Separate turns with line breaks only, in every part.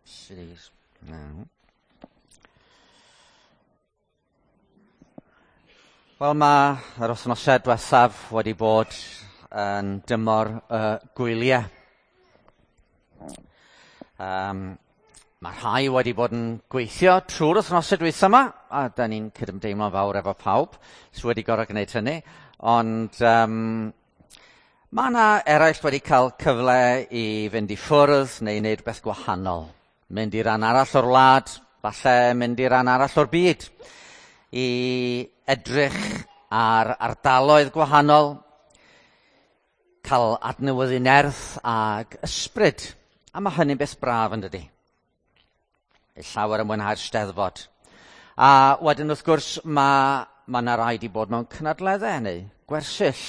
Cities. No. Wel, mae yr wythnosau diwethaf wedi bod yn dymor y gwyliau. Mae rhai wedi bod yn gweithio trwy'r wythnosau dwytha yma, a da ni'n cydymdeimlo'n fawr efo pawb sydd wedi gorfod gwneud hynny, ond mae yna eraill wedi cael cyfle i fynd i ffwrdd neu i wneud rhywbeth gwahanol. Mynd i ran arall o'r wlad, falle mynd i ran arall o'r byd, i edrych ar ardaloedd gwahanol, cael adnewyddu nerth ag ysbryd. A mae hynny'n beth braf yn dydi? Llawer yn mwynhau'r Steddfod. A wedyn wrth gwrs mae yna rai 'di bod mewn cynadleddau neu gwersyll.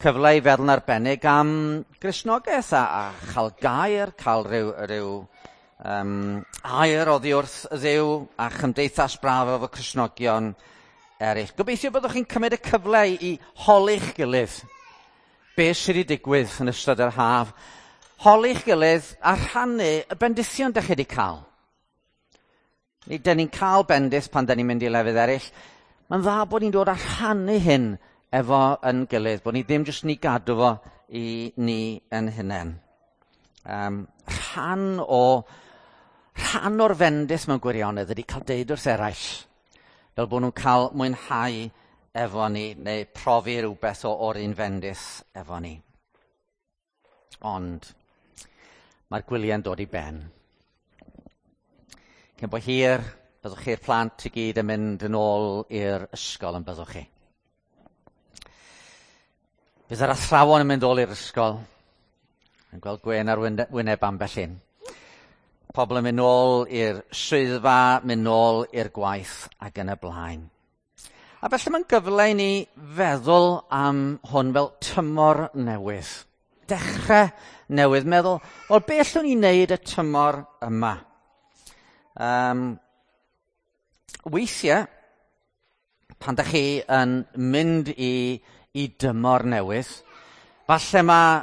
Cyfle i feddwl yn arbennig am Gristnogaeth a chael gair, cael rhyw air oddi wrth Dduw a chymdeithas braf efo Cristnogion eraill. Gobeithio byddwch chi'n cymryd y cyfle i holi'ch gilydd beth sydd wedi digwydd yn ystod yr haf. Holi'ch gilydd a rhannu y bendithion dych chi wedi cael. Dyn ni'n cael bendith pan dyn ni'n mynd i lefydd eraill. Mae'n dda bod ni'n dod a rhannu hyn efo yn gilydd, bod ni ddim jyst ni gadw fo i ni yn hunain. Rhan o'r fendith mewn gwirionedd ydy cael deud wrth eraill, fel bod nhw'n cael mwynhau efo ni, neu profi rhywbeth o'r un fendith efo ni. Ond mae'r gwyliau'n dod i ben. Cyn bo hir, byddwch chi'r plant i gyd yn mynd yn ôl i'r ysgol yn byddwch chi. Bydd yr athrawon yn mynd ôl i'r ysgol, yn gweld gwên ar wyneb ambell un. Pobl yn mynd ôl i'r swyddfa, mynd ôl i'r gwaith ac yn y blaen. A felly mae'n gyfle i ni feddwl am hwn fel tymor newydd. Dechrau newydd, meddwl, wel, beth allwn ni wneud y tymor yma? Weithiau, pan dach chi yn mynd i dymor newydd, falle mae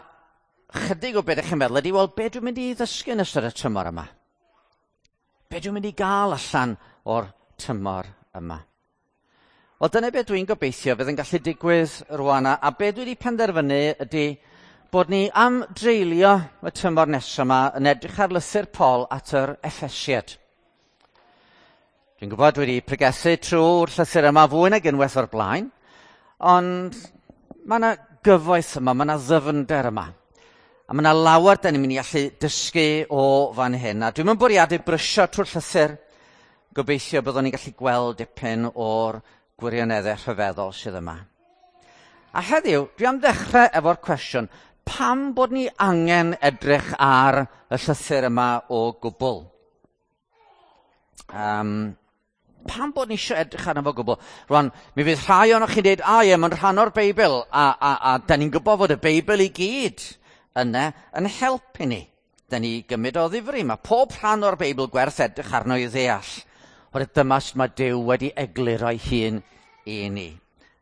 chydig o beth ydych chi'n meddwl ydy, wel, be dwi'n mynd i ddysgu yn ystod y tymor yma? Be dwi'n mynd i gael allan o'r tymor yma? Wel, dyna beth dwi'n gobeithio fydd yn gallu digwydd rwan, a be dwi wedi penderfynu ydy bod ni am dreulio y tymor nesaf yma yn edrych ar lythyr Paul at yr Effesiaid. Dwi'n gwybod dwi wedi pregethu trwy'r llythyr yma fwy nag unwaith o'r blaen, ond mae yna gyfoeth yma, mae yna ddyfnder yma. A mae yna lawer da ni'n mynd i allu dysgu o fan hyn. A dwi'n mynd bwriadu brysio trwy'r llythyr, gobeithio byddwn ni'n gallu gweld dipyn o'r gwirioneddau rhyfeddol sydd yma. A heddiw, dwi am ddechrau efo'r cwestiwn, pam bod ni angen edrych ar y llythyr yma o gwbl? Pam bod ni eisiau edrych arno fo gwbl? Rwan, mi fydd rhai ohonoch chi'n dweud, a ie, mae'n rhan o'r Beibl, a da ni'n gwybod fod y Beibl i gyd yna yn helpu ni. Da ni gymryd o ddifri. Mae pob rhan o'r Beibl gwerth edrych arno i ddeall. Oherwydd dyma sut mae Duw wedi egluro ei hun i ni.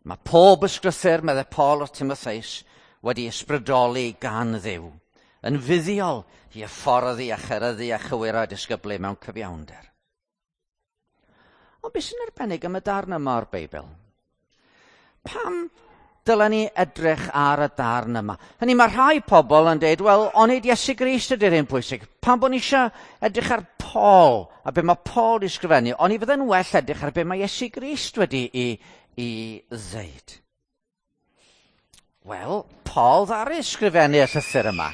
Mae pob ysgrythur, meddai Paul wrth Timotheus, wedi ysbrydoli gan Dduw, yn fuddiol i hyfforddi a cheryddu a chywiro disgyblu mewn cyfiawnder. Ond beth sy'n arbennig am y darn yma o'r Beibl? Pam dylen ni edrych ar y darn yma? Hynny, mae rhai pobl yn dweud, wel, onid Iesu Grist ydy'r un pwysig. Pam bod ni eisiau edrych ar Paul a be mae Paul wedi sgrifennu, oni fydde'n well edrych ar be mae Iesu Grist wedi i ddeud. Wel, Paul ddaru sgrifennu y llythyr yma.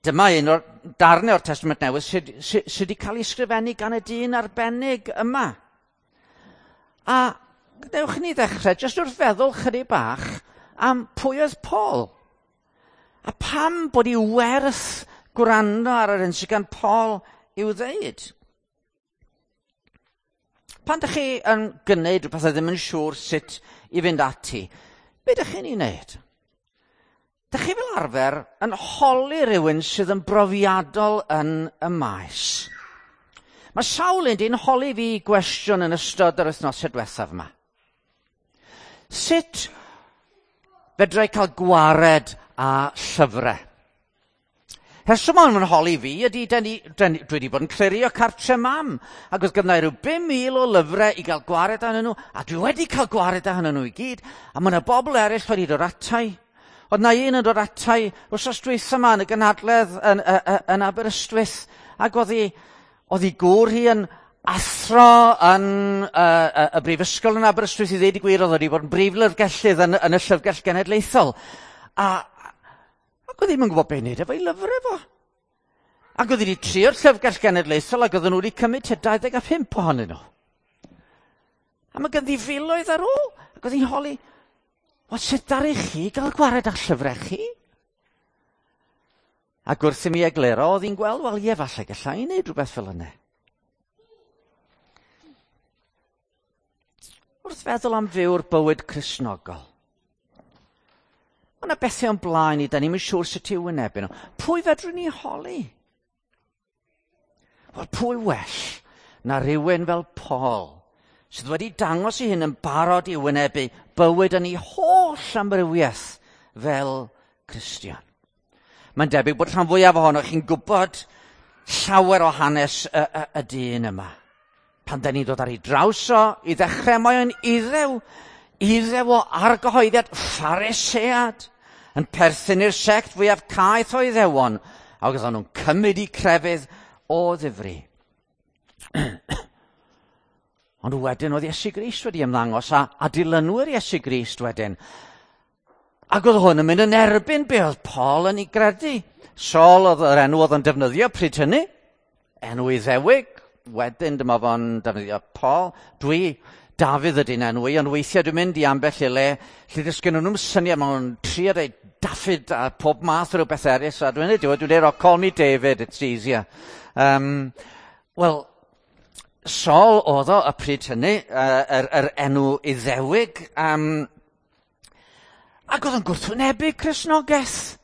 Dyma un o'r darnau o'r Testament Newydd sydd wedi cael ei sgrifennu gan y dyn arbennig yma. A gadewch i ni ddechrau jyst wrth feddwl chydig bach am pwy oedd Paul. A pam bod i werth gwrando ar yr hyn sydd gan Paul i'w ddeud. Pan dych chi yn gwneud rhywbeth a ddim yn siŵr sut i fynd ati, be dych chi'n ei wneud? Dych chi fel arfer yn holi rhywun sydd yn brofiadol yn y maes. Mae sawl un di'n holi fi gwestiwn yn ystod yr wythnosau diwethaf yma. Sut fedra i cael gwared â llyfrau? Rheswm o'n nhw'n holi fi ydy, dwi wedi bod yn clirio cartre mam, ac oedd gynna i ryw 5,000 o lyfrau i gael gwared arnyn nhw, a dwi wedi cael gwared arnyn nhw i gyd, a mae yna bobl eraill wedi dod atai. Oedd na un yn dod atai wythnos dwytha yma yn y gynhadledd yn Aberystwyth, ac oedd hi gŵr hi yn athro yn y brifysgol yn Aberystwyth, i ddeud y gwir, oedd wedi bod yn brif lyfrgellydd yn y Llyfrgell Genedlaethol. Ac oedd ddim yn gwybod beth i wneud efo'i lyfrau fo. Ac oedd wedi trio'r Llyfrgell Genedlaethol ac oedden nhw wedi cymryd tua 25 ohonyn nhw. A mae ganddi filoedd ar ôl. Ac oedd hi'n holi, wel sut ddaru chi gael gwared â'ch llyfrau chi? Ac wrth i mi egluro, oedd hi'n gweld, wel ie, falle gallai i wneud rhywbeth fel yna. Wrth feddwl am fyw'r bywyd Cristnogol, mae yna bethau o'n blaen ni, da ni'm yn siŵr sut i'w wynebu nhw. Pwy fedrwn ni holi? Wel, pwy well na rhywun fel Paul, sydd wedi dangos ei hun yn barod i wynebu bywyd yn ei holl amrywiaeth fel Cristion. Mae'n debyg bod rhan fwyaf ohonoch chi'n gwybod llawer o hanes y dyn yma. Pan da ni'n dod ar ei draws o, i ddechrau mae o'n iddew o argyhoeddiad Pharisead, yn perthyn i'r sect fwyaf caeth o Iddewon, ac oedden nhw'n cymryd eu crefydd o ddifri. Ond wedyn oedd Iesu Grist wedi ymddangos a dilynwyr Iesu Grist wedyn. Ac oedd hwn yn mynd yn erbyn be oedd Paul yn ei gredu. Saul oedd yr enw oedd yn defnyddio pryd hynny, enw Iddewig, wedyn dyma fo'n defnyddio Paul. Dwi, Dafydd ydy'n enw i, ond weithiau dwi'n mynd i ambell i le lle does gen nhw'm syniad, maen nhw'n trio dweud Daffyd a pob math o rhywbeth eraill, a dwi'n dweud, oh, call me David, it's easier. Wel, Saul oedd o y pryd hynny, yr enw Iddewig, ac oedd yn gwrthwynebu Cristnogaeth.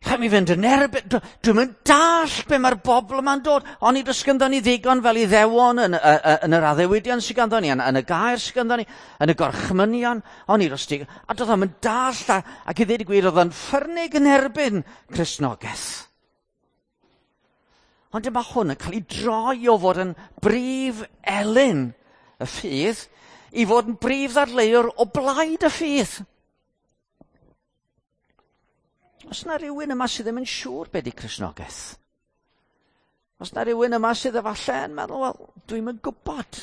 Rhaid mi fynd yn erbyn, dwi'm yn dallt be mae'r bobl yma'n dod. Oni does ganddo ni ddigon fel Iddewon yn yr addewidion sydd ganddo ni, yn y gair sydd ganddo ni, yn y gorchmynion. Oni does digon, a doedd o'm yn dallt, ac i ddweud y gwir, oedd o'n ffyrnig yn erbyn Cristnogaeth. Ond dyma hwn yn cael ei droi o fod yn brif elyn y ffydd i fod yn brif ddadleuwr o blaid y ffydd. Os na rhywun yma sydd ddim yn siŵr be di Cristnogaeth, os na rhywun yma sydd efallai yn meddwl, wel, dwi'm yn gwybod,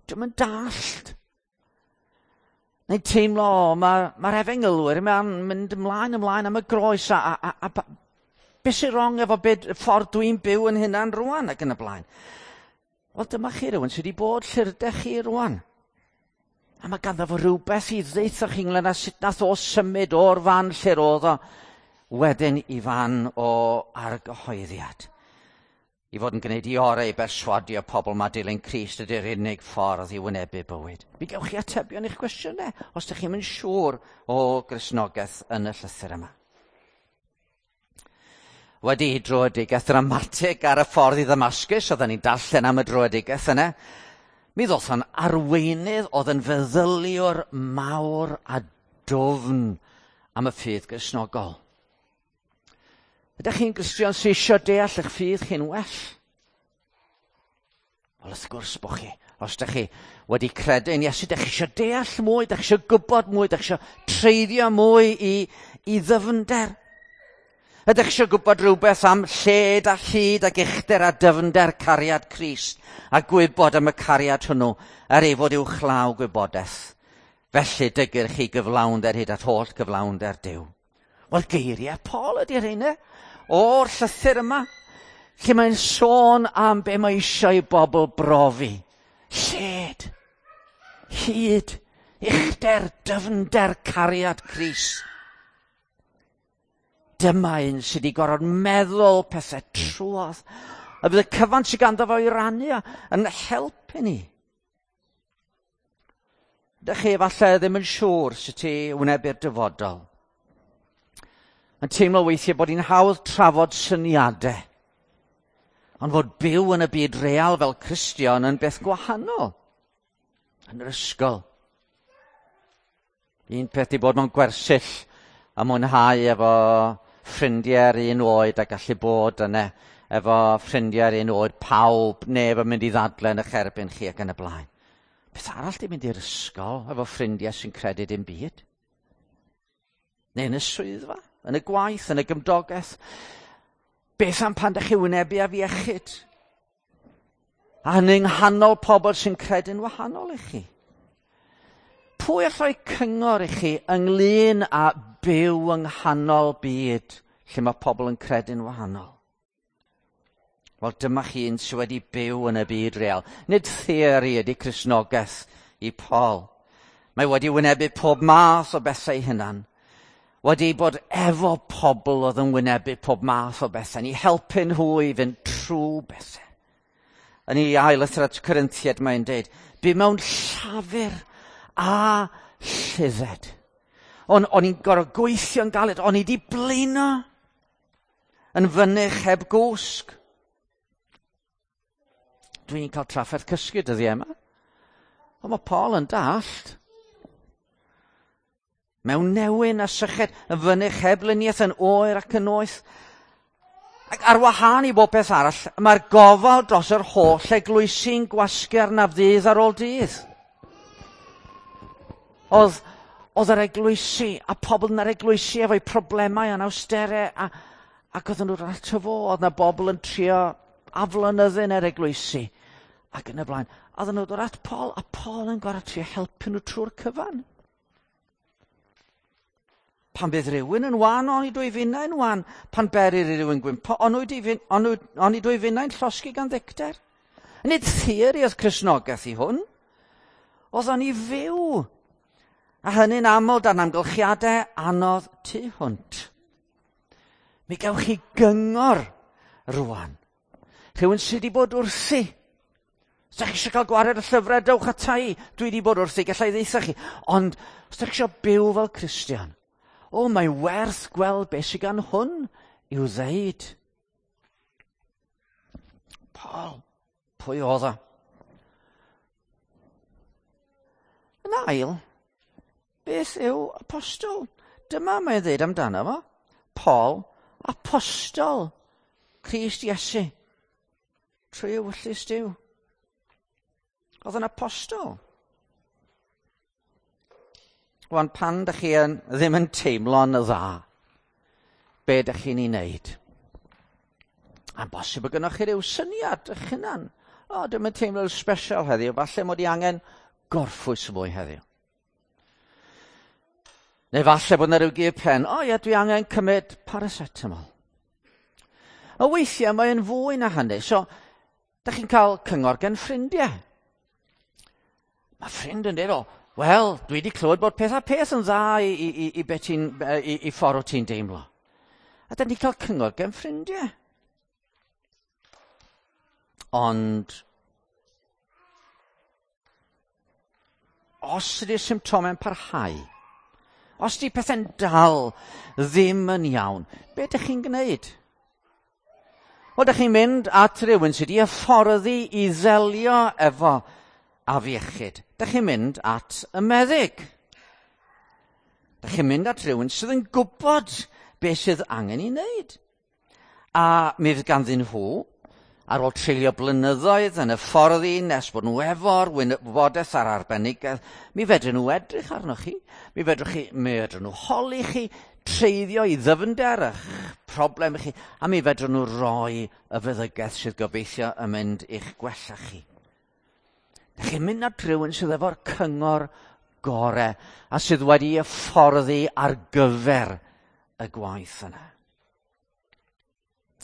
dwi'm yn dallt, neu'n teimlo, mae'r efengylwyr yma'n mynd ymlaen am y groes, a beth sy'n wrong efo beth ffordd dwi'n byw yn hynna'n rwan ac yn y blaen. Wel, dyma chi rhywun sydd wedi bod lle rydych chi rwan. A mae ganddo fo rhywbeth i ddeutha chi ynglyn â sut nath o symud o'r fan lle roedd o wedyn i fan o argyhoeddiad. I fod yn gwneud i orau i berswadio pobl mae dilyn Crist ydy'r unig ffordd i wynebu bywyd. Mi gewch chi atebion i'ch cwestiynau os ydych chi'm yn siŵr o Gristnogaeth yn y llythyr yma. Wedi i dröedigaeth ddramatig ar y ffordd i Ddamascus, oedden ni'n darllen am y dröedigaeth yna, mi ddoth o'n arweinydd oedd yn feddyliwr mawr a dwfn am y ffydd Gristnogol. Ydych chi'n Gristion sydd eisiau deall eich ffydd chi'n well? Wel, wrth gwrs bod chi. Os ydych chi wedi credu yn Iesu, ydych chi eisiau deall mwy, ydych chi eisiau gwybod mwy, ydych chi eisiau treiddio mwy i ddyfnder. Ydych chi eisiau gwybod rhywbeth am lled a hyd ac uchder a dyfnder cariad Crist, a gwybod am y cariad hwnnw er ei fod uwchlaw gwybodaeth. Felly dygir chi gyflawnder hyd at holl gyflawnder Duw. Wel, geiriau Paul ydy'r rheina o'r llythyr yma, lle mae'n sôn am be mae eisiau i bobl brofi. Lled, hyd, uchder, dyfnder cariad Crist. Dyma un sydd wedi gorfod meddwl pethau trwodd, a bydd y cyfan sydd ganddo fo i rannu yn helpu ni. Ydych chi efallai ddim yn siŵr sut i wynebu'r dyfodol. Yn teimlo weithiau bod hi'n hawdd trafod syniadau, ond fod byw yn y byd real fel Cristion yn beth gwahanol. Yn yr ysgol. Un peth i bod mewn gwersyll a mwynhau efo ffrindiau'r un oed a gallu bod yna efo ffrindiau'r un oed, pawb, neb yn mynd i ddadle yn eich erbyn chi ac yn y blaen. Beth arall di mynd i'r ysgol efo ffrindiau sy'n credu dim byd? Neu yn y swyddfa, yn y gwaith, yn y gymdogaeth. Beth am pan ydych chi wynebu afiechyd? A hynny yng nghanol pobl sy'n credu'n wahanol i chi. Pwy all roi cyngor i chi ynglyn â byw yng nghanol byd lle mae pobl yn credu'n wahanol? Wel, dyma chi un sydd wedi byw yn y byd real. Nid theori ydy Cristnogaeth i Paul. Mae wedi wynebu pob math o bethau hunan. Wedi bod efo pobl oedd yn wynebu pob math o bethau. Ni helpu nhw i fynd trwy bethau. Yn ei ail lythyr at Corinthiaid mae'n deud, bu mewn llafur a lludded. O'n i'n gorfod gweithio'n galed, o'n i wedi blino yn fynych heb gwsg. Dwi'n cael trafferth cysgu dyddiau yma. Ond mae Paul yn dallt. Mewn newyn a syched, yn fynych heb luniaeth, yn oer ac yn noeth. Ac ar wahân i bob peth arall, mae'r gofal dros yr holl eglwysi'n gwasgu arnaf ddydd ar ôl dydd. Oedd yr eglwysi a pobl yn yr eglwysi efo'u problemau anawsterau ac oedden nhw'n ato fo, oedd na bobl yn trio aflonyddu yn yr eglwysi ac yn y blaen. A oedden nhw'n dod at Paul a Paul yn gorfod trio helpu nhw trwy'r cyfan. Pan bydd rhywun yn wan, oni dwy finnau'n wan. Pan berir i rhywun gwympo, oni dwy finnau'n llosgi gan ddicter. Nid theori oedd Cristnogaeth i hwn. Oedd o'n i fyw. A hynny'n aml dan amgylchiadau anodd tu hwnt. Mi gewch chi gyngor rwan. Rhywun sydd wedi bod wrthi. Os ydych chi eisiau cael gwared y llyfrau, dewch ata i. Dwi wedi bod wrthi, gallai ddeutha chi. Ond os ydych chi eisiau byw fel Cristion, o, mae werth gweld beth sydd gan hwn i'w ddeud. Paul, pwy oedd o? Yn ail, beth yw apostol? Dyma mae'n dweud amdano fo. Paul, apostol Crist Iesu. Trwy ewyllys Duw. Oedd yn apostol. Wan, pan dych chi ddim yn teimlo'n dda, be dych chi'n ei wneud? A'n bosib bod gynnwch chi ryw syniad eich hunan. O, dwi'm yn teimlo'n special heddiw, falle mod i angen gorffwys mwy heddiw. Neu falle bod yna ryw gur pen, o ie, dwi angen cymryd paracetamol. A weithiau mae'n fwy na hynny, so dych chi'n cael cyngor gen ffrindiau. Mae ffrind yn dweud, o, wel, dwi wedi clywed bod peth a peth yn dda i ffordd o ti'n deimlo. A dyn ni'n cael cyngor gen ffrindiau. Ond os ydy'r symptomau'n parhau, os ydy pethau'n dal ddim yn iawn, be ydych chi'n gwneud? Wel, ydych chi'n mynd at rhywun sydd wedi hyfforddi i ddelio efo afiechyd. Ydych chi'n mynd at y meddyg. Ydych chi'n mynd at rhywun sydd yn gwybod beth sydd angen ei wneud. A mi fydd ganddyn nhw, ar ôl treulio blynyddoedd yn hyfforddi nes bod nhw efo'r wybodaeth a'r arbenigedd, mi fedrwn nhw edrych arnoch chi, mi fedrwn nhw holi chi, treiddio i ddyfnder eich problem chi, a mi fedrwn nhw roi y feddygaeth sydd gobeithio yn mynd i'ch gwella chi. Dych chi'n mynd at rhywun sydd efo'r cyngor gore a sydd wedi hyfforddi ar gyfer y gwaith yna.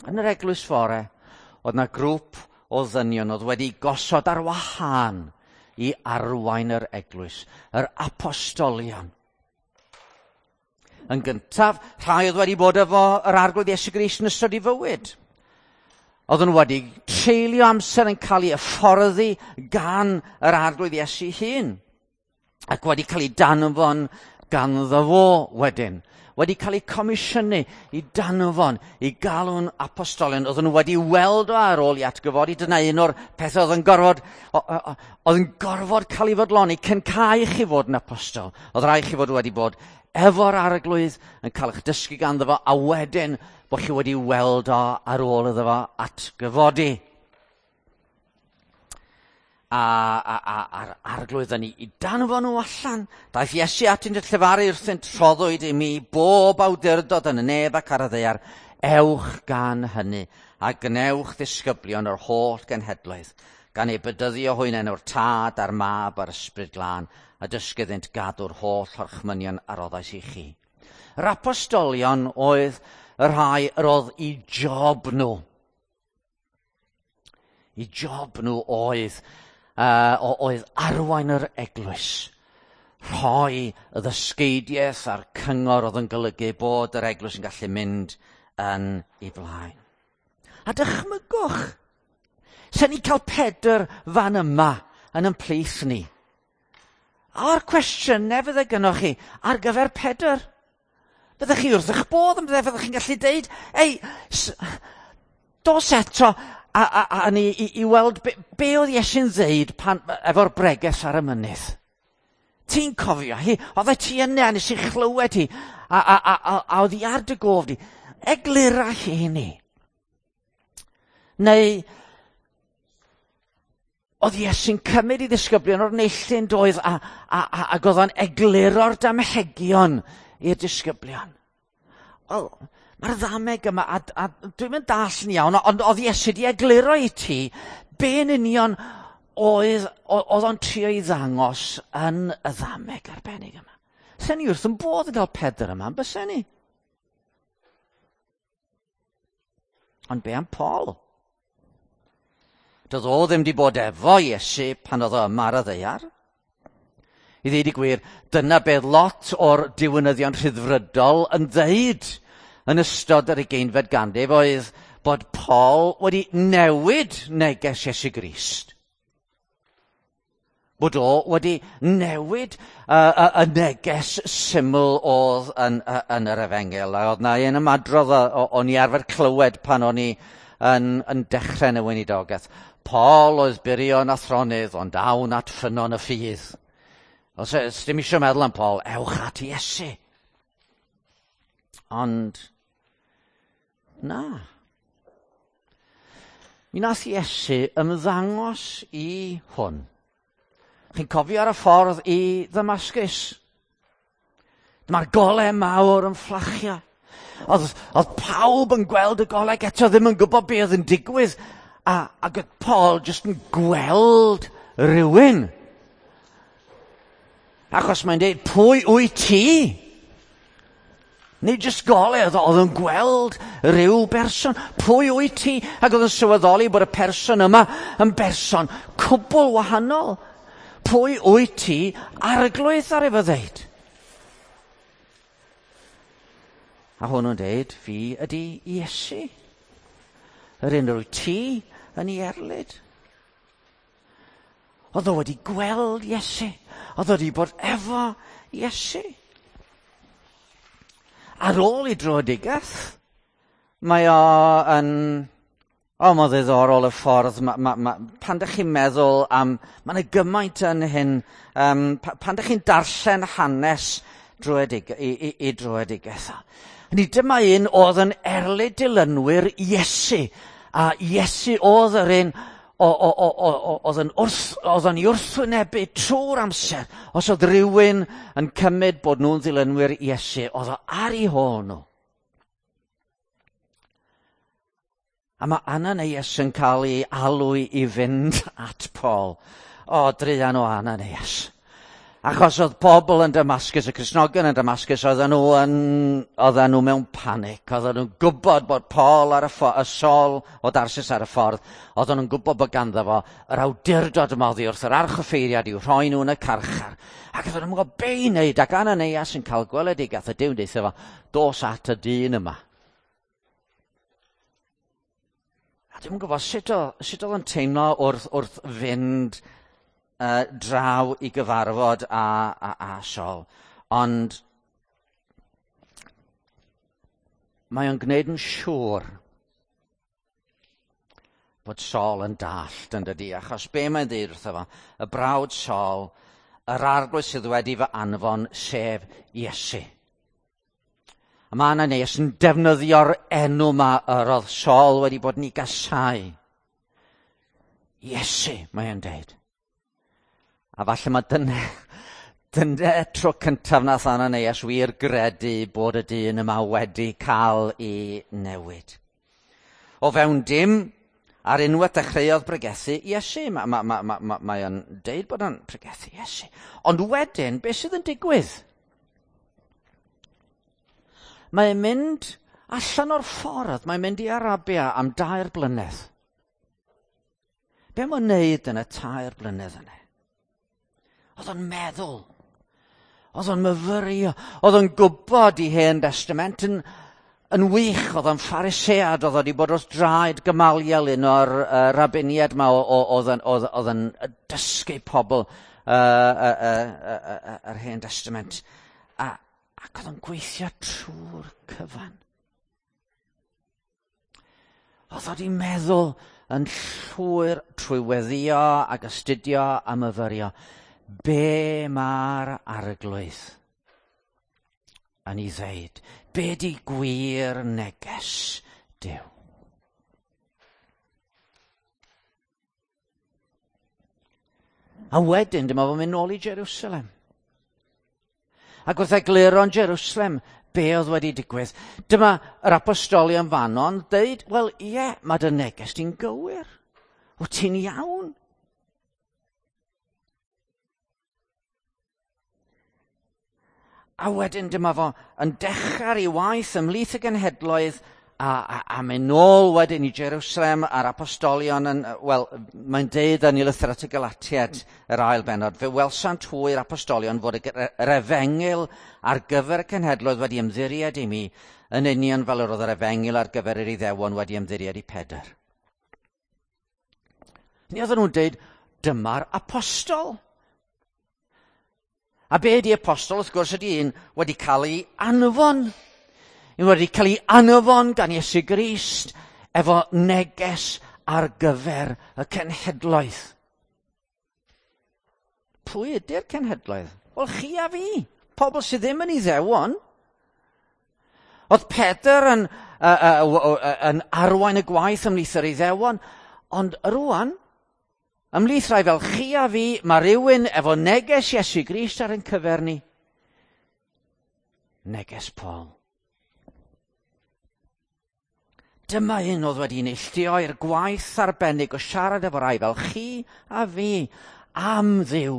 Yn yr eglwys fore, oedd yna grŵp o ddynion oedd wedi gosod ar wahân i arwain yr eglwys, yr apostolion. Yn gyntaf, rhai oedd wedi bod efo yr Arglwydd Iesu Grist yn ystod ei fywyd. Oedden nhw wedi treulio amser yn cael ei hyfforddi gan yr Arglwydd Iesu hun, ac wedi cael ei danfon ganddo fo wedyn. Wedi cael eu comisiynu i danfon, i galw'n apostolion. Oedden nhw wedi weld o ar ôl i atgyfodi. Dyna un o'r pethau oedd yn gorfod, oedd yn gorfod cael ei fodloni cyn cael chi fod yn apostol. Oedd rhaid chi fod wedi bod efo'r arglwydd yn cael eich dysgu ganddo fo, a wedyn bod chi wedi weld o ar ôl iddo fo atgyfodi. A'r arglwydd yn ei danfon nhw allan. Daeth Iesu atynt y llefaru wrthynt, rhoddwyd i mi bob awdurdod yn y nef ac ar y ddaear. Ewch gan hynny, a gwnewch ddisgyblion o'r holl genhedloedd, gan eu bedyddio hwy yn enw'r Tad a'r Mab a'r Ysbryd Glân, a dysgu iddynt gadw'r holl orchmynion a roddais i chi. Yr apostolion oedd y rhai yr oedd i job nhw. I job nhw oedd oedd arwain yr eglwys, rhoi y ddysgeidiaeth a'r cyngor oedd yn golygu bod yr eglwys yn gallu mynd yn ei flaen. A dychmygwch, sen ni cael Pedr fan yma yn ymplith ni. A'r cwestiynau fydde gynnoch chi ar gyfer Pedr. Byddech chi wrth eich bodd yn byddech chi'n gallu deud, ei, dos eto a ni i weld be oedd Iesu'n ddeud pan, efo'r breges ar y mynydd. Ti'n cofio hi, oedd ti yna, nes i chlywed hi, a oedd hi ar dy gof di. Eglura hi i ni. Neu, oedd Iesu'n cymryd i ddisgyblion o'r neilltu'n doedd ac oedd o'n egluro'r damhegion i'r disgyblion. Wel, mae'r ddameg yma, a dwi'n mynd dall yn iawn, ond oedd Iesu wedi egluro i ti be yn union oedd o'n trio i ddangos yn y ddameg arbennig yma. Sen ni wrth yn bodd yn cael Pedr yma, bysen ni? Ond be am Paul? Doedd o ddim wedi bod efo Iesu pan oedd o yma ar y ddaear. I ddweud y gwir, dyna beth lot o'r diwinyddion rhyddfrydol yn ddeud yn ystod yr 20fed ganrif oedd bod Paul wedi newid neges Iesu Grist. Bod o wedi newid y neges syml oedd yn yr efengyl. A oedd na un ymadrodd o'n i arfer clywed pan o'n i yn dechrau yn y weinidogaeth. Paul oedd burion athronydd, ond awn at ffynnon y ffydd. Os dim eisiau meddwl am Paul, ewch at Iesu. Ond, na. Mi nath Iesu ymddangos i hwn. Chi'n cofio ar y ffordd i Ddamascus? Dyma'r golau mawr yn fflachio. Oedd pawb yn gweld y golau eto ddim yn gwybod be oedd yn digwydd. Ac oedd Paul jyst yn gweld rhywun. Achos mae'n dweud, pwy wyt ti? Nid jyst golau, oedd yn gweld rhyw berson. Pwy wyt ti? Ac oedd yn sylweddoli bod y person yma yn berson cwbl wahanol. Pwy wyt ti? Arglwydd ar efo ddeud. A hwnnw'n dweud, fi ydy Iesu. Yr un rwy ti yn ei erlid. Oedd o wedi gweld Iesu. Oedd o wedi bod efo Iesu. Ar ôl ei dröedigaeth, mae o yn... O, mae'n ddiddorol y ffordd. Pan dych chi'n meddwl am... Mae yna gymaint yn hyn. Pan dych chi'n darllen hanes i dröedigaeth. Ni dyma un oedd yn erlid dilynwyr Iesu. A Iesu oedd yr un... Oedd o'n i wrthwynebu trwy'r amser. Os oedd rhywun yn cymryd bod nhw'n ddilynwyr Iesu, oedd o ar eu hôl nhw. A mae Ananias yn cael ei alw i fynd at Paul. O, druan o Ananias. Achos oedd pobl yn Damascus, y Cristnogion yn Damascus, oedden nhw mewn panic. Oedden nhw'n gwybod bod Paul ar y Saul o Darsus ar y ffordd. Oedden nhw'n gwybod bod ganddo fo yr awdurdod yma oddi wrth yr archoffeiriad i'w rhoi nhw yn y carchar. Ac oedden nhw'n gwybod be i wneud, ac Ananias yn cael gweledigaeth y Duw'n deutha fo, dos at y dyn yma. A dwi'm yn gwybod sut oedd o'n teimlo wrth fynd draw i gyfarfod a Saul. Ond mae o'n gwneud yn siŵr bod Saul yn dallt yn dydi, achos be mae'n dweud wrtho fo, y brawd Saul, yr arglwydd sydd wedi fy anfon, sef Iesu. A mae Ananias yn defnyddio'r enw yma yr oedd Saul wedi bod yn ei gasau. Iesu, mae o'n deud. A falle mae dyna tro cyntaf nath Ananias wir gredu bod y dyn yma wedi cael ei newid. O fewn dim, ar unwaith dechreuodd bregethu Iesu. Mae o'n deud bod o'n pregethu Iesu. Ond wedyn, beth sydd yn digwydd? Mae'n mynd allan o'r ffordd, mae'n mynd i Arabia am 3 blynedd. Be mae'n wneud yn y 3 blynedd yna? Oedd o'n meddwl, oedd o'n myfyrio, oedd o'n gwybod i Hen Testament yn wych, oedd o'n Pharisead, oedd wedi bod wrth draed Gamaliel, un o'r rabiniaid yma oedd yn dysgu pobl yr Hen Testament. Ac oedd o'n gweithio trwy'r cyfan. Oedd wedi meddwl yn llwyr trwy weddio ac astudio a myfyrio. Be mae'r arglwydd yn ei ddeud? Be di gwir neges Duw? A wedyn dyma fo'n mynd nôl i Jerusalem. Ac wrth egluro yn Jerusalem be oedd wedi digwydd, dyma yr apostolion fanno'n deud, wel ie, mae dy neges di'n gywir. Wyt ti'n iawn? A wedyn dyma fo yn dechrau ei waith ymhlith y genhedloedd a mynd nôl wedyn i Jerusalem a'r apostolion yn, wel, mae'n deud yn ei lythyr at y Galatiaid, yr ail bennod, fe welsant hwy'r apostolion fod yr efengyl ar gyfer y cenhedloedd wedi ymddiried i mi, yn union fel yr oedd yr efengyl ar gyfer yr Iddewon wedi ymddiried i Pedr. Ni oedden nhw'n deud, dyma'r apostol. A be ydi apostol, wrth gwrs, ydi un wedi cael ei anfon. Un wedi cael ei anfon gan Iesu Grist efo neges ar gyfer y cenhedloedd. Pwy ydy'r cenhedloedd? Wel, chi a fi, pobl sydd ddim yn Iddewon. Oedd Pedr yn arwain y gwaith ymhlith yr Iddewon, ond rwan, ymhlith rhai fel chi a fi, mae rhywun efo neges Iesu Grist ar ein cyfer ni. Neges Paul. Dyma un oedd wedi neilltuo i'r gwaith arbennig o siarad efo rai fel chi a fi am Dduw,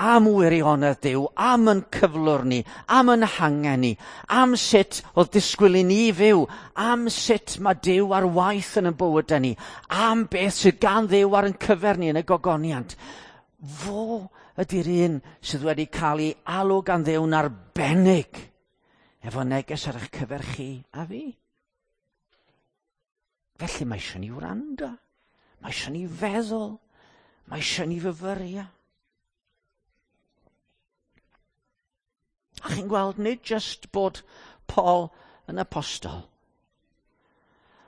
am wirionedd Duw, am yn cyflwr ni, am yn hangen ni, am sut oedd disgwyl i ni fyw, am sut mae Duw ar waith yn ein bywydau ni, am beth sydd gan Dduw ar ein cyfer ni yn y gogoniant. Fo ydy'r un sydd wedi cael ei alw gan Dduw'n arbennig efo neges ar eich cyfer chi a fi. Felly mae eisiau ni wrando, mae eisiau ni feddwl, mae eisiau ni fyfyrio. A chi'n gweld, nid jyst bod Paul yn apostol,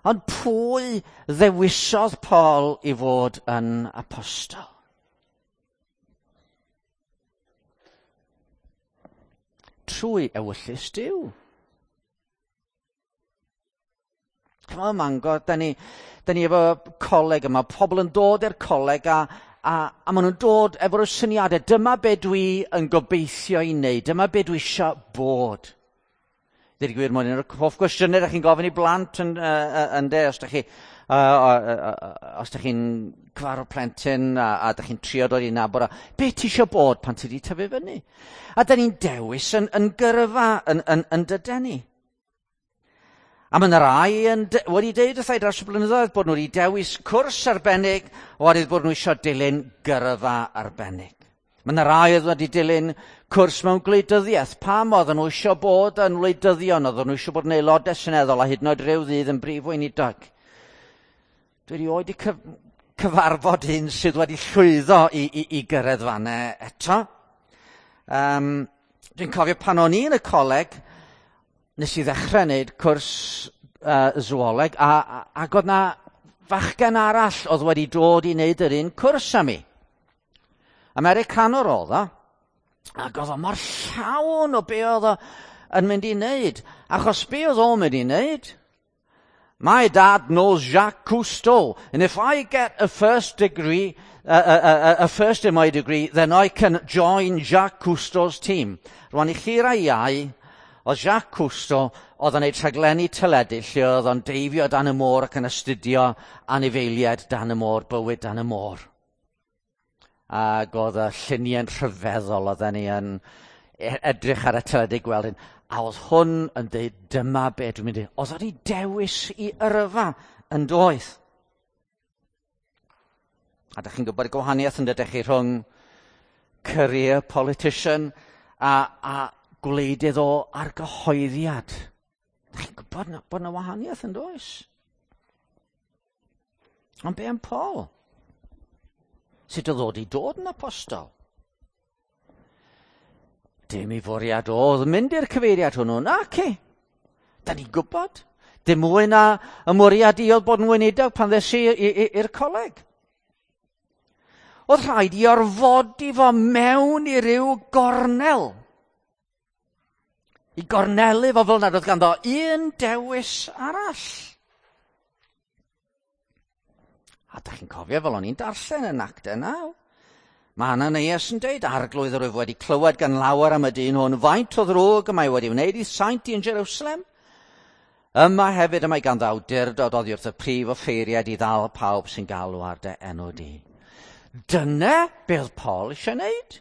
ond pwy ddewisodd Paul i fod yn apostol? Trwy ewyllys Duw. Ch'mo' ym Mangor, da ni efo coleg yma, pobl yn dod i'r coleg a maen nhw'n dod efo'r syniadau, dyma be dwi yn gobeithio i wneud, dyma be dwi isio bod. Dweud y gwir, mae'n un o'r hoff gwestiynau ydych chi'n gofyn i blant yn de, os ydych chi'n cyfarfod plentyn a ydych chi'n trio dod i nabod, be ti isio bod pan ti wedi tyfu fyny? A da ni'n dewis yn gyrfa, yn dyden ni. A mae yna rai wedi deud wrtha i dros y blynyddoedd bod nhw wedi dewis cwrs arbennig oherwydd bod nhw eisiau dilyn gyrfa arbennig. Mae yna rai oedd wedi dilyn cwrs mewn gwleidyddiaeth. Pam oedden nhw eisiau bod yn wleidyddion, oedden nhw eisiau bod yn aelodau seneddol a hyd yn oed ryw ddydd yn brif weinidog. Dwi erioed wedi cyfarfod un sydd wedi llwyddo i gyrraedd fan'na eto. Dwi'n cofio pan o'n i yn y coleg, nes i ddechrau wneud cwrs zooleg, ac oedd na fachgen arall oedd wedi dod i wneud yr un cwrs â mi. Americanwr oedd o, ac oedd o mor llawn o be oedd o yn mynd i wneud. Achos be oedd o'n mynd i wneud? "My dad knows Jacques Cousteau, and if I get a first degree, a first in my degree, then I can join Jacques Cousteau's team." Rwan i chi rai iau, oedd Jacques Cousteau oedd yn gwneud rhaglenni teledu lle oedd o'n deifio dan y môr ac yn astudio anifeiliaid dan y môr, bywyd dan y môr. Ac oedd y lluniau'n rhyfeddol, oedden ni yn edrych ar y teledu gweld hyn. A oedd hwn yn dweud, "Dyma be dwi'n mynd i." Oedd wedi dewis i yrfa yn doedd. A da chi'n gwybod y gwahaniaeth yn dydych chi rhwng career politician a gwleidydd o argyhoeddiad. Da chi'n gwybod na, bod yna wahaniaeth yn does? Ond be am Paul? Sut oedd o 'di dod yn apostol? Dim i fwriad oedd mynd i'r cyfeiriad hwnnw, naci. Da ni'n gwybod. Dim mwy na y mwriad i oedd bod yn weinidog pan ddes i i'r coleg. Oedd rhaid i orfodi fo mewn i ryw gornel. I gornelu fo fel nad oedd ganddo un dewis arall. A da chi'n cofio fel o'n i'n darllen yn Actau 9. Mae Ananias yn deud, "Arglwydd, yr wyf wedi clywed gan lawer am y dyn hwn, faint o ddrwg y mae wedi wneud i saint i yn Jerusalem. Yma hefyd y mae ganddo awdurdod oddi wrth y prif offeiriad i ddal pawb sy'n galw ar dy enw di." Dyna be oedd Paul eisiau wneud.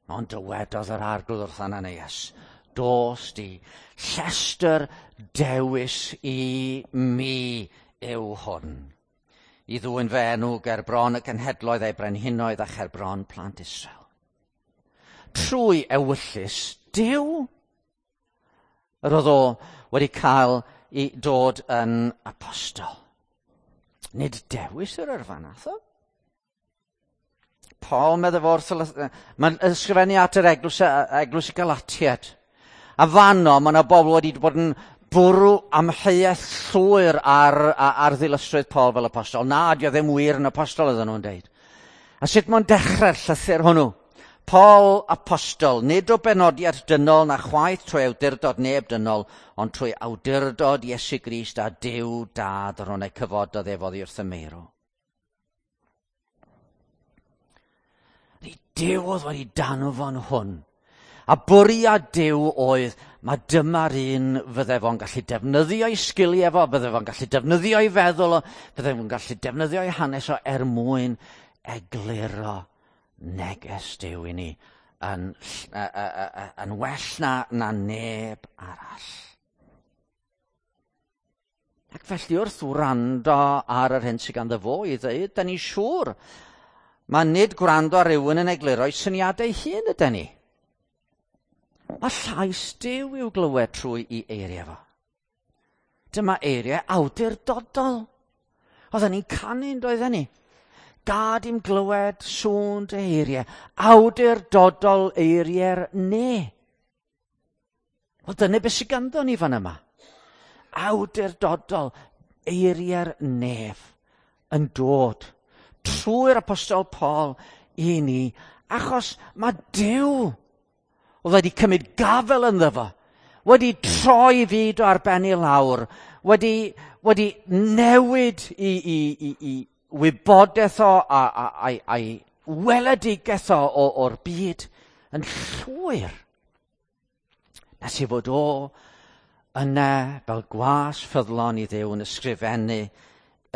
Ond dywedodd yr Arglwydd wrth Ananias, "Dos di, llestr dewis i mi yw hwn i ddwyn fy enw ger bron y cenhedloedd eu brenhinoedd a cher bron plant Israel." Trwy ewyllys Duw, yr oedd o wedi cael i dod yn apostol. Nid dewis yr yrfa nath o. Paul medde fo wrth, mae'n ysgrifennu at yr eglwys y Galatiad. A fanno, mae yna bobl wedi bod yn bwrw amheuaeth llwyr ar ddilysrwydd Paul fel apostol. Na, di o ddim wir yn apostol, oedden nhw'n deud. A sut mae'n dechrau'r llythyr hwnnw? "Paul apostol, nid o benodiad dynol na chwaith trwy awdurdod neb dynol, ond trwy awdurdod Iesu Grist a Duw Dad yr hwn ei cyfododd ef oddi wrth y meirw." Ni Duw oedd wedi danfon hwn. A bwriad Duw oedd, mae dyma'r un fydde fo'n gallu defnyddio'i sgiliau fo, fydde fo'n gallu defnyddio'i feddwl o, fydde fo'n gallu defnyddio'i hanes o er mwyn egluro neges Duw i ni yn well na neb arall. Ac felly wrth wrando ar yr hyn sydd ganddo fo i ddweud, da ni'n siŵr, mae nid gwrando ar rywun yn egluro'i syniadau hun ydy ni. Mae llais Duw i'w glywed trwy i eiriau fo. Dyma eiriau awdurdodol. Oedden ni'n canu, doedden ni? "Gad i'm glywed sŵn dy eiriau. Awdurdodol eiriau'r ne." Wel, dyna beth sydd ganddo ni fan yma. Awdurdodol eiriau'r nef yn dod trwy'r apostol Paul i ni, achos mae Duw oedd wedi cymryd gafel ynddo fo, wedi troi fyd o ar ben i lawr, wedi newid i wybodaeth o a'i weledigaeth o o'r byd yn llwyr. Nes i fod o yna fel gwas ffyddlon i Dduw yn ysgrifennu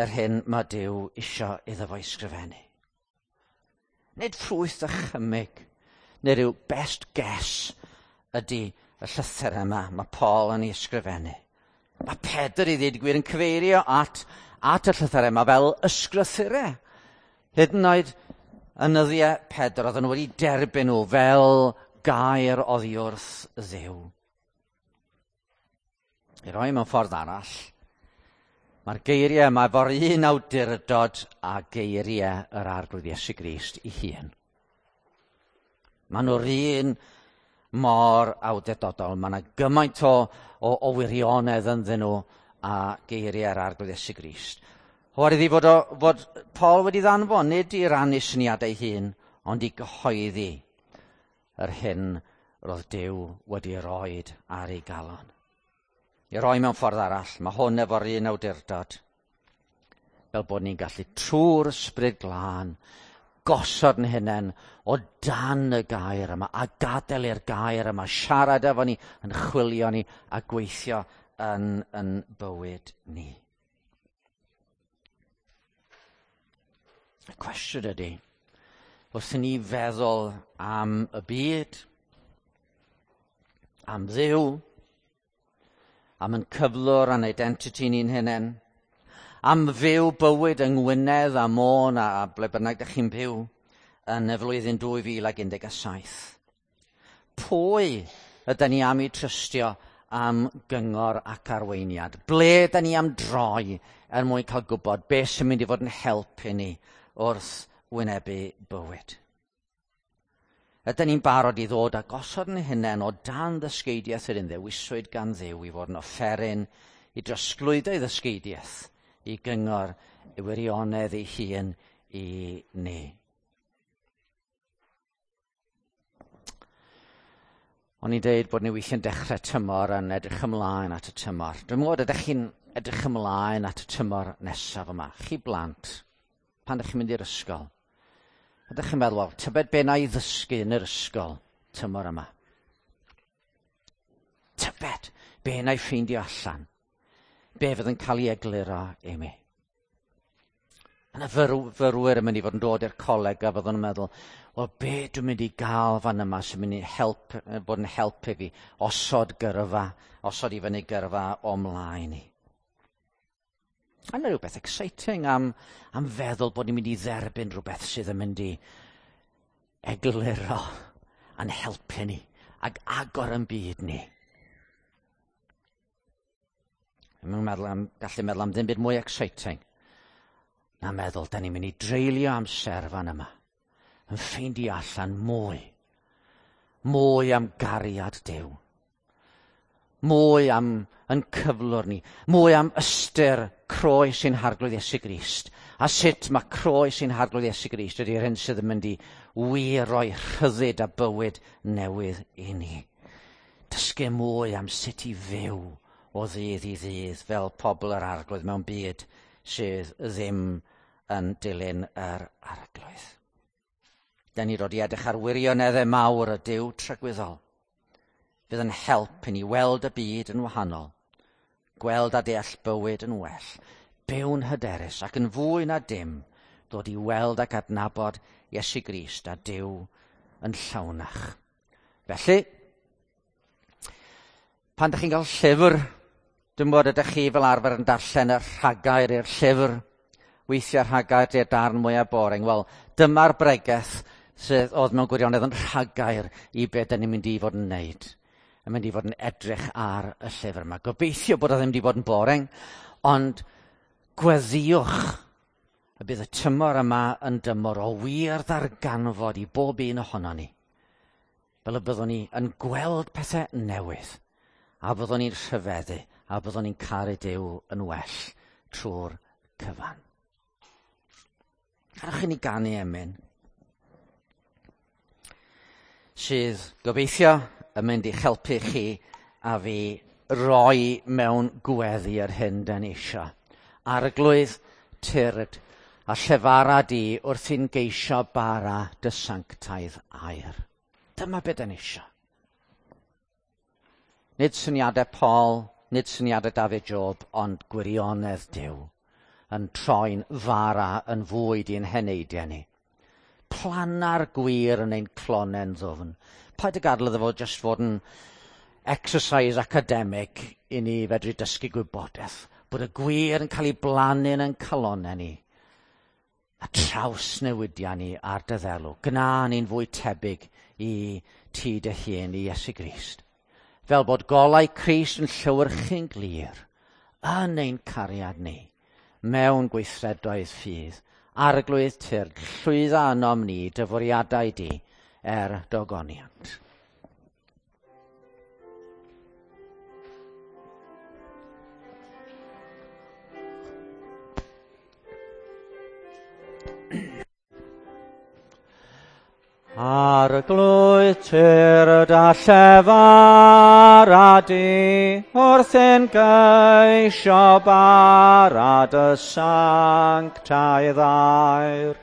yr hyn mae Duw isio iddo fo ysgrifennu. Nid ffrwyth dychymyg neu rhyw best guess ydy y llythyr yma mae Paul yn ei ysgrifennu. Mae Pedr i ddweud gwir yn cyfeirio at y llythyr yma fel ysgrythurau. Hyd yn oed yn nyddiau Pedr, oedden nhw wedi derbyn nhw fel gair oddi wrth Dduw. I roi mewn ffordd arall, mae'r geiriau yma efo'r un awdurdod a geiriau yr Arglwydd Iesu Grist ei hun. Maen nhw'r un mor awdurdodol. Mae yna gymaint o wirionedd ynddyn nhw a geiriau'r Arglwydd Iesu Grist. Oherwydd i fod Paul wedi ddanfon, nid i rannu syniadau hun, ond i gyhoeddi yr hyn roedd Duw wedi roed ar ei galon. I roi mewn ffordd arall, mae hwn efo'r un awdurdod. Fel bod ni'n gallu trwy'r Ysbryd Glân gosod yn hunain o dan y gair yma a gadael i'r gair yma siarad efo ni, yn chwilio ni a gweithio yn bywyd ni. Y cwestiwn ydy, wrth i ni feddwl am y byd, am Dduw, am yn cyflwr a'n identity ni'n hunain, am fyw bywyd yng Ngwynedd a Môn a ble bynnag ydych chi'n byw yn y flwyddyn 2017. Pwy ydyn ni am ei trystio am gyngor ac arweiniad? Ble ydyn ni am droi er mwyn cael gwybod beth sy'n mynd i fod yn help i ni wrth wynebu bywyd? Ydyn ni'n barod i ddod a gosod yn hunain o dan ddysgeidiaeth yr un ddewiswyd gan Dduw i fod yn offeryn i drosglwyddo ei ddysgeidiaeth i gyngor i wirionedd ei hun i ni. O'n i'n deud bod ni weithiau'n dechrau tymor yn edrych ymlaen at y tymor. Dwi'n gwybod ydych chi'n edrych ymlaen at y tymor nesaf yma. Chi blant, pan ydych chi'n mynd i'r ysgol, ydych chi'n meddwl, wel, tybed be na i ddysgu yn yr ysgol tymor yma? Tybed be na i ffeindio allan? Be fydd yn cael ei egluro i mi? Yna fyrwyr yn mynd i fod yn dod i'r coleg a fyddwn yn meddwl, wel, be dwi'n mynd i gael fan yma sy'n mynd i bod yn help i fi osod gyrfa, osod i fyny gyrfa o mlaen i. A yna rhywbeth exciting am feddwl bod ni'n mynd i dderbyn rhywbeth sydd yn mynd i egluro a'n helpu ni ac agor yn byd ni. Dwi'n meddwl gallu meddwl am ddim byd mwy exciting na meddwl, da ni'n mynd i dreulio amser fan yma yn ffeindio allan mwy am gariad Duw, mwy am yn cyflwr ni, mwy am ystyr croes ein Harglwydd Iesu Grist, a sut mae croes ein Harglwydd Iesu Grist ydy'r hyn sydd yn mynd i wir roi rhyddid a bywyd newydd i ni. Dysgu mwy am sut i fyw o ddydd i ddydd fel pobl yr Arglwydd mewn byd sydd ddim yn dilyn yr Arglwydd. Da ni dod i edrych ar wirioneddau mawr y Duw tragwyddol. Fydd yn help i ni weld y byd yn wahanol, gweld a deall bywyd yn well, byw'n hyderus ac yn fwy na dim, dod i weld ac adnabod Iesu Grist a Duw yn llawnach. Felly, pan ydych chi'n cael llyfr, dwi'n bod ydych chi fel arfer yn darllen y rhagair i'r llyfr, weithiau rhagair di'r darn mwyaf boring. Wel, dyma'r bregeth sydd oedd mewn gwirionedd yn rhagair i be dyn ni'n mynd i fod yn wneud. Yn mynd i fod yn edrych ar y llyfr yma. Gobeithio bod o ddim wedi bod yn boring, ond gweddïwch y bydd y tymor yma yn dymor o wir ddarganfod i bob un ohono ni. Fel y byddwn ni yn gweld pethau newydd, a byddwn ni'n rhyfeddu, a byddwn ni'n caru Duw yn well trwy'r cyfan. Gadewch i ni ganu emyn sydd gobeithio yn mynd i'ch helpu chi a fi roi mewn gweddi yr hyn dan ni isio. Arglwydd, tyrd a llefara di wrth i'n geisio bara dy sanctaidd air. Dyma be dan ni isio. Nid syniadau Paul, nid syniadau David Job, ond gwirionedd Duw yn troi'n fara yn fwyd i'n heneidiau ni. Planna'r gwir yn ein clonen ddwfn. Paid y gadael iddo fo jyst fod yn exercise academic i ni fedru dysgu gwybodaeth. Bod y gwir yn cael ei blannu yn ein calonnau ni. A trawsnewidiau ni ar dy ddelw. Gna ni'n fwy tebyg i ti dy hun, i Iesu Grist. Fel bod golau Crist yn llewyrchu'n glir yn ein cariad ni mewn gweithredoedd ffydd. Arglwydd tyrd, llwydda ynom ni dy fwriadau di er dogoniant. Arglwydd tyrd a llefara di, wrth ein geisio bara dy sanctaidd air.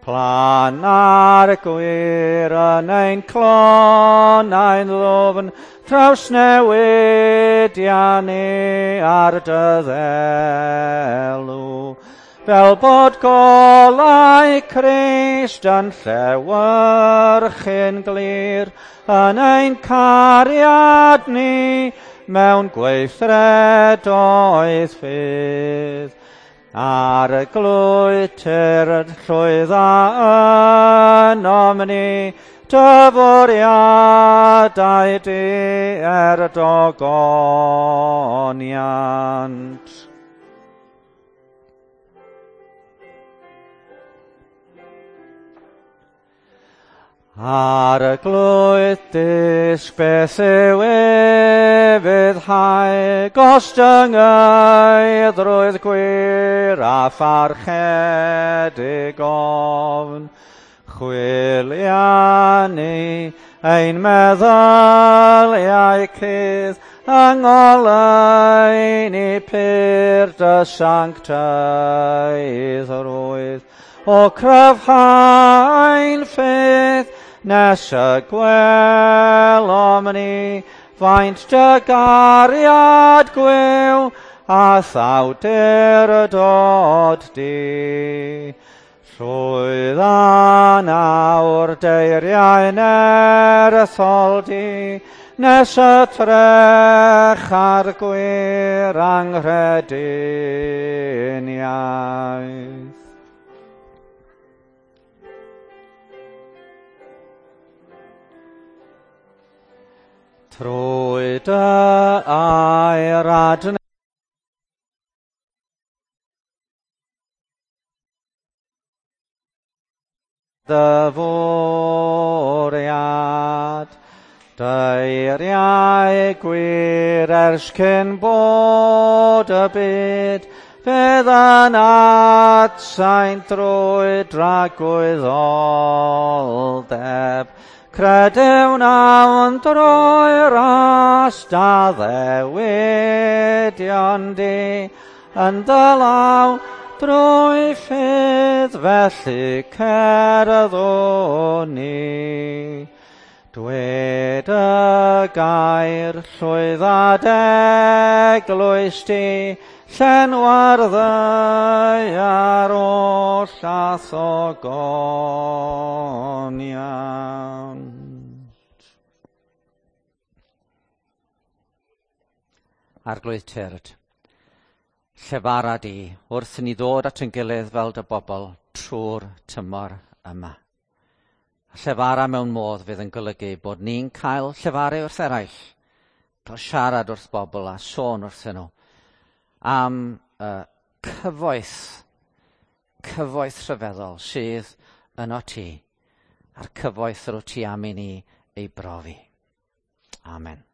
Planna'r gwir yn ein clonau'n ddwfn, trawsnewidia ni ar dy ddelw. Fel bod golau Crist yn llewyrchu'n glir yn ein cariad ni mewn gweithredoedd ffydd. Arglwydd tyrd llwydda ynom ni, dy fwriadau di er dogoniant. Arglwydd dysg beth yw ufuddhau, gostyngeiddrwydd gwir a pharchedig ofn. Chwilia ni ein meddyliau cudd, yng ngoleuni pur dy sanctaiddrwydd. O cryfhau'n ffydd, nes y gwelom ni faint dy gariad gwiw a thawdurdod di. Llwydda nawr deiriau nerthol di, nes y trech ar gwir anghrediniaeth. Trwy dy air adnewyddiad, deiriau gwir ers cyn bod y byd, fydd yn atsain drwy dragwyddoldeb. Credewn awn drwy ras da ddewidion di, yn dy law drwy ffydd felly cerddwn ni. Dwed y gair llwydda d'eglwys di, llenwa'r ddaear oll a thogoniant. Arglwydd tyrd, llefara di wrth i ni ddod at ein gilydd fel dy bobl trwy'r tymor yma. Llefara mewn modd fydd yn golygu bod ni'n cael llefaru wrth eraill, cael siarad wrth bobl a sôn wrthyn nhw am cyfoeth rhyfeddol sydd yno ti, a'r cyfoeth yr wyt ti am i ni ei brofi. Amen.